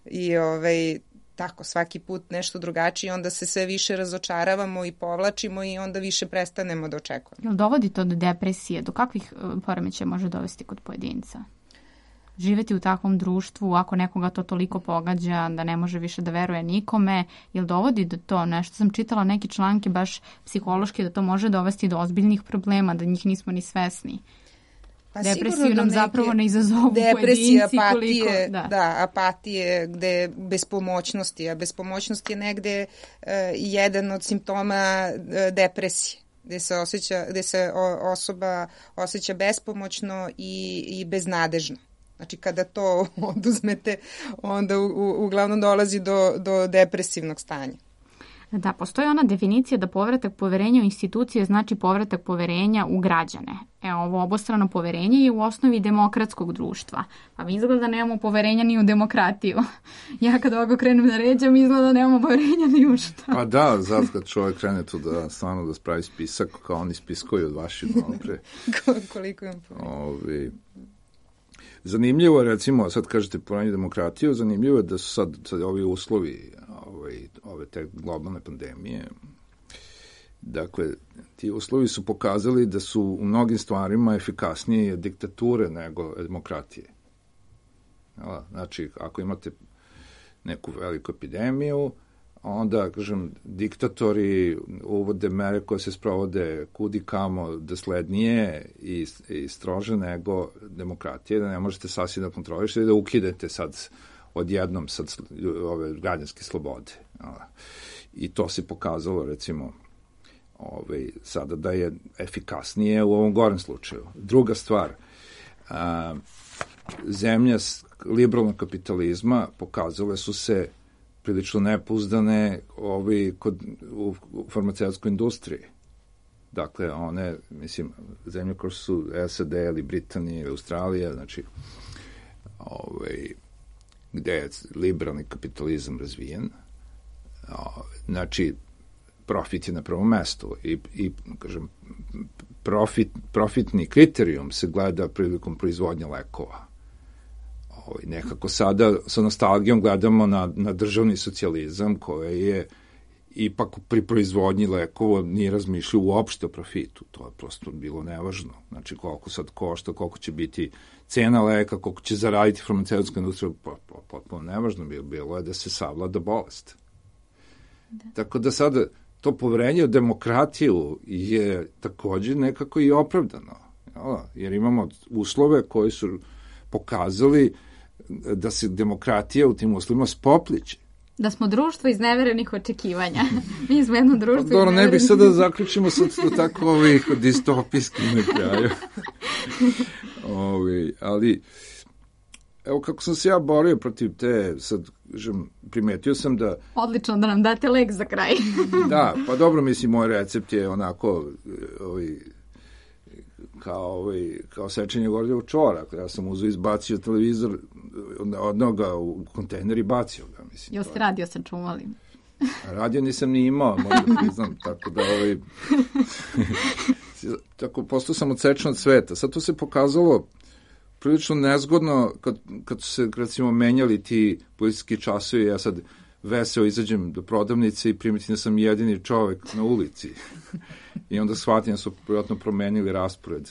i ovaj, tako, svaki put nešto drugačije, onda se sve više razočaravamo i povlačimo i onda više prestanemo da očekujemo. Jel dovodi to do depresije? Do kakvih poremećaja može dovesti kod pojedinca? Živeti u takvom društvu, ako nekoga to toliko pogađa da ne može više da veruje nikome, jel dovodi do to? Nešto sam čitala neke članke baš psihološki da to može dovesti do ozbiljnih problema, da njih nismo ni svesni. Pa depresiju nam zapravo ne izazovu depresija, pojedinci. Apatije, koliko, da. da, apatije, gde bespomoćnosti, a bespomoćnost je negde uh, jedan od simptoma uh, depresije, gde se, osjeća, gde se o, osoba osjeća bespomoćno i, i beznadežno. Znači, kada to oduzmete, onda u, u, uglavnom dolazi do, do depresivnog stanja. Da, postoji ona definicija da povratak poverenja u institucije znači povratak poverenja u građane. E, ovo obostrano poverenje je u osnovi demokratskog društva. Pa mi izgleda da nemamo poverenja ni u demokratiju. Ja kad ovako krenem da ređam, izgleda da nemamo poverenja ni u šta. Pa da, zato kad čovjek krene tu da stvarno da spravi spisak, kao oni spiskoju od vaših malo pre. Koliko imam poverenja. Ovi... Zanimljivo je, recimo, sad kažete poverenje demokratiju, zanimljivo je da su sad, sad ovi uslovi ovaj, ove te globalne pandemije. Dakle, ti uslovi su pokazali da su u mnogim stvarima efikasnije diktature nego demokratije. Znači, ako imate neku veliku epidemiju, onda, kažem, diktatori uvode mere koje se sprovode kudi kamo doslednije i, i strože nego demokratije, da ne možete sasvim da kontrolišete i da ukidete sad odjednom sad ove građanske slobode. I to se pokazalo, recimo, ovaj, sada da je efikasnije u ovom gorem slučaju. Druga stvar, a, zemlje liberalnog kapitalizma pokazale su se prilično nepouzdane ovi kod, u, u farmaceutskoj industriji. Dakle, one, mislim, zemlje koje su S A D ili Britanija ili Australija, znači, ovaj, gde je liberalni kapitalizam razvijen, znači, profit je na prvom mestu i, i kažem, profit, profitni kriterijum se gleda prilikom proizvodnja lekova. Ovaj, nekako sada sa nostalgijom gledamo na, na državni socijalizam koji je ipak pri proizvodnji lekova nije razmišljao uopšte o profitu. To je prosto bilo nevažno. Znači koliko sad košta, koliko će biti cena leka, koliko će zaraditi farmaceutska industrija, potpuno nevažno bilo, bilo je da se savlada bolest. Da. Tako da sada to poverenje u demokratiju je takođe nekako i opravdano. Jer imamo uslove koji su pokazali da se demokratija u tim uslovima spopliče. Da smo društvo izneverenih očekivanja. Mi smo jedno društvo Dobro, izneverenih... ne bih sad da zaključimo sad tako ovih distopijskih na kraju. Ovi, ali, evo kako sam se ja borio protiv te, sad, žem, primetio sam da... Odlično da nam date lek za kraj. Da, pa dobro, mislim, moj recept je onako, ovi, kao, ovaj, kao sečenje gordijevog čvora. Ja sam uzeo, izbacio televizor, odneo ga u kontejner i bacio ga. Mislim, Jel ste radio sa čumalim? Radio nisam ni imao, možda priznam, tako da ovaj... tako, postao sam odsečen od sveta. Sad to se pokazalo prilično nezgodno kad, kad su se, recimo, menjali ti policijski časovi, ja sad veseo izađem do prodavnice i primetim da sam jedini čovek na ulici. I onda shvatim da su vjerojatno promenili raspored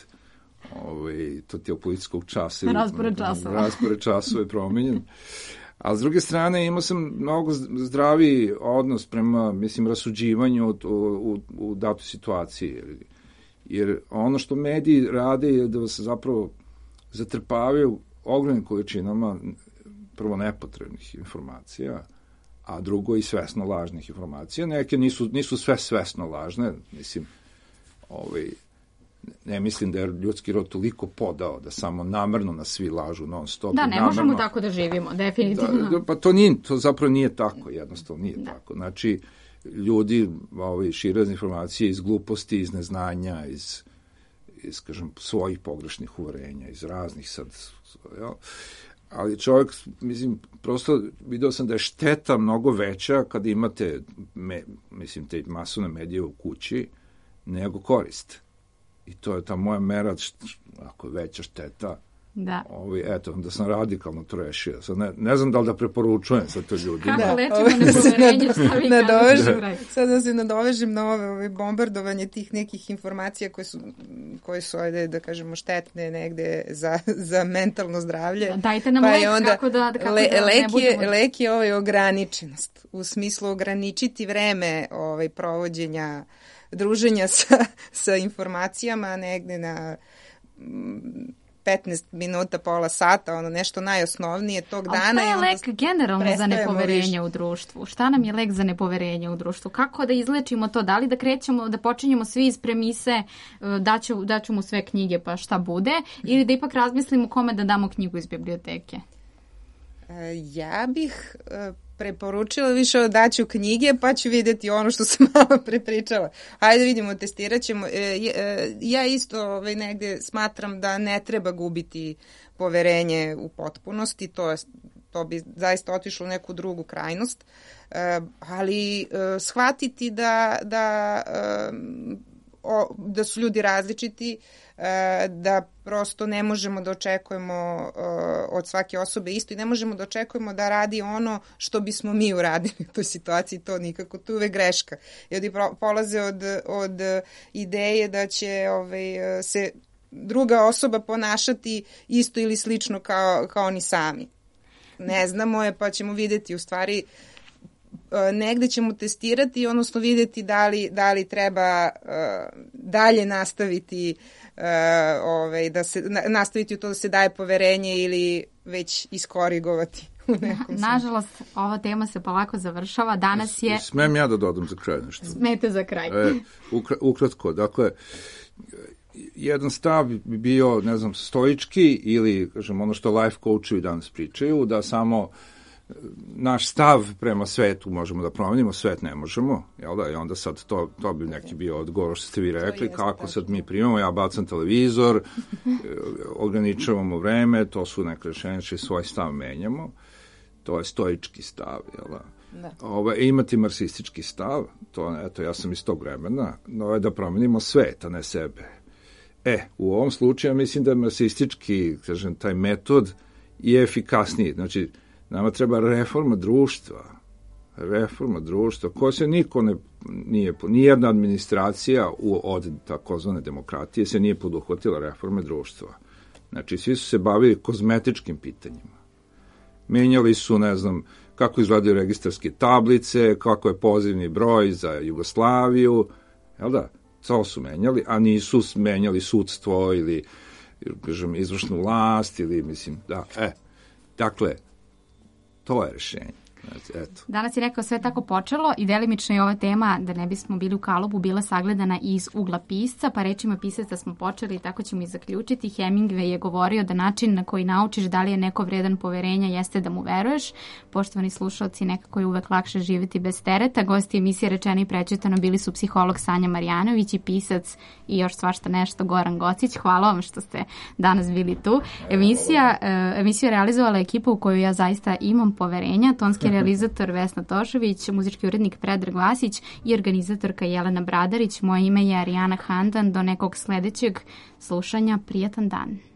ovaj, to tijel policijskog časa. Raspored časova. Raspored časova je promenjen. A s druge strane imao sam mnogo zdraviji odnos prema, mislim, rasuđivanju u, u, u datoj situaciji. Jer, jer ono što mediji rade je da se zapravo zatrpavaju ogromnim količinama prvo nepotrebnih informacija, a drugo i svesno lažnih informacija. Neke nisu, nisu sve svesno lažne, mislim, ovaj, ne mislim da je ljudski rod toliko podao da samo namerno nas svi lažu non stop. Da, ne namerno, možemo tako da živimo, definitivno. Da, pa to, nije, to zapravo nije tako, jednostavno nije da. tako. Znači, ljudi ovaj, šire informacije iz gluposti, iz neznanja, iz, iz kažem, svojih pogrešnih uverenja, iz raznih sad, jel? Ali čovjek, mislim, prosto video sam da je šteta mnogo veća kada imate, me, mislim, te masovne medije u kući, nego korist. I to je ta moja mera, ako je veća šteta, da. Ovi, eto, da sam radikalno to rešio. Sad ne, ne znam da li da preporučujem sad to ljudima. Kako lečimo nepoverenje, šta vi kažete? Sad da se nadovežem na ove, ove bombardovanje tih nekih informacija koje su, koje su ajde, da kažemo, štetne negde za, za mentalno zdravlje. Dajte nam pa lek onda, kako da, kako le, da lek ne budemo... Je, lek je ovaj ograničenost. U smislu ograničiti vreme ovaj, provođenja druženja sa, sa informacijama negde na petnaest minuta, pola sata, ono nešto najosnovnije tog ali dana. Ali šta je lek generalno za nepoverenje viš... u društvu? Šta nam je lek za nepoverenje u društvu? Kako da izlečimo to? Da li da krećemo, da počinjemo svi iz premise daću, daću mu sve knjige pa šta bude? Ili da ipak razmislimo kome da damo knjigu iz biblioteke? Ja bih preporučila više daću knjige, pa ću vidjeti ono što sam malo prepričala. Hajde vidimo, testirat ćemo. Ja isto ovaj, negde smatram da ne treba gubiti poverenje u potpunosti, to, je, to bi zaista otišlo u neku drugu krajnost, ali shvatiti da, da, da su ljudi različiti, da prosto ne možemo da očekujemo od svake osobe isto i ne možemo da očekujemo da radi ono što bismo mi uradili u toj situaciji, to nikako, to je uvek greška. Ljudi polaze od, od ideje da će ovaj, se druga osoba ponašati isto ili slično kao, kao oni sami. Ne znamo je, pa ćemo videti u stvari negde ćemo testirati, odnosno vidjeti da li, da li treba uh, dalje nastaviti uh, ovaj, da se, na, nastaviti u to da se daje poverenje ili već iskorigovati u nekom Nažalost, ova tema se polako završava. Danas je... Smem ja da dodam za kraj nešto? Smete za kraj. E, ukra, ukratko, dakle, jedan stav bi bio, ne znam, stoički ili, kažem, ono što life coachovi danas pričaju, da samo naš stav prema svetu možemo da promenimo, svet ne možemo, jel da? I onda sad to, to bi neki bio odgovor što ste vi rekli, kako sad mi primamo, ja bacam televizor, ograničavamo vreme, to su neke rešenje, svoj stav menjamo, to je stoički stav, jel da? Da. Ove, imati marksistički stav, to, eto, ja sam iz tog vremena, no je da promenimo svet, a ne sebe. E, u ovom slučaju mislim da je marksistički, kažem, taj metod je efikasniji, znači, nama treba reforma društva, reforma društva, koja se niko ne, nije, nijedna administracija u, od takozvane demokratije se nije poduhvatila reforme društva. Znači, svi su se bavili kozmetičkim pitanjima. Menjali su, ne znam, kako izgledaju registarske tablice, kako je pozivni broj za Jugoslaviju, jel da? To su menjali, a nisu menjali sudstvo ili, kažem, izvršnu vlast ili, mislim, da, e, dakle, to je rešenje. Eto. Danas je rekao sve tako počelo i delimično je ova tema, da ne bismo bili u kalubu, bila sagledana iz ugla pisca, pa rečima pisaca smo počeli i tako ćemo i zaključiti. Hemingway je govorio da način na koji naučiš da li je neko vredan poverenja jeste da mu veruješ. Poštovani slušalci, nekako je uvek lakše živjeti bez tereta. Gosti emisije Rečeno i prečitano bili su psiholog Sanja Marjanović i pisac i još svašta nešto Goran Gocić. Hvala vam što ste danas bili tu. Emisija, emisiju je realizovala ekipa u koju ja zaista imam poverenja. Tonski realizator Vesna Tošović, muzički urednik Predrag Vasić i organizatorka Jelena Bradarić. Moje ime je Arijana Handan. Do nekog sledećeg slušanja. Prijatan dan.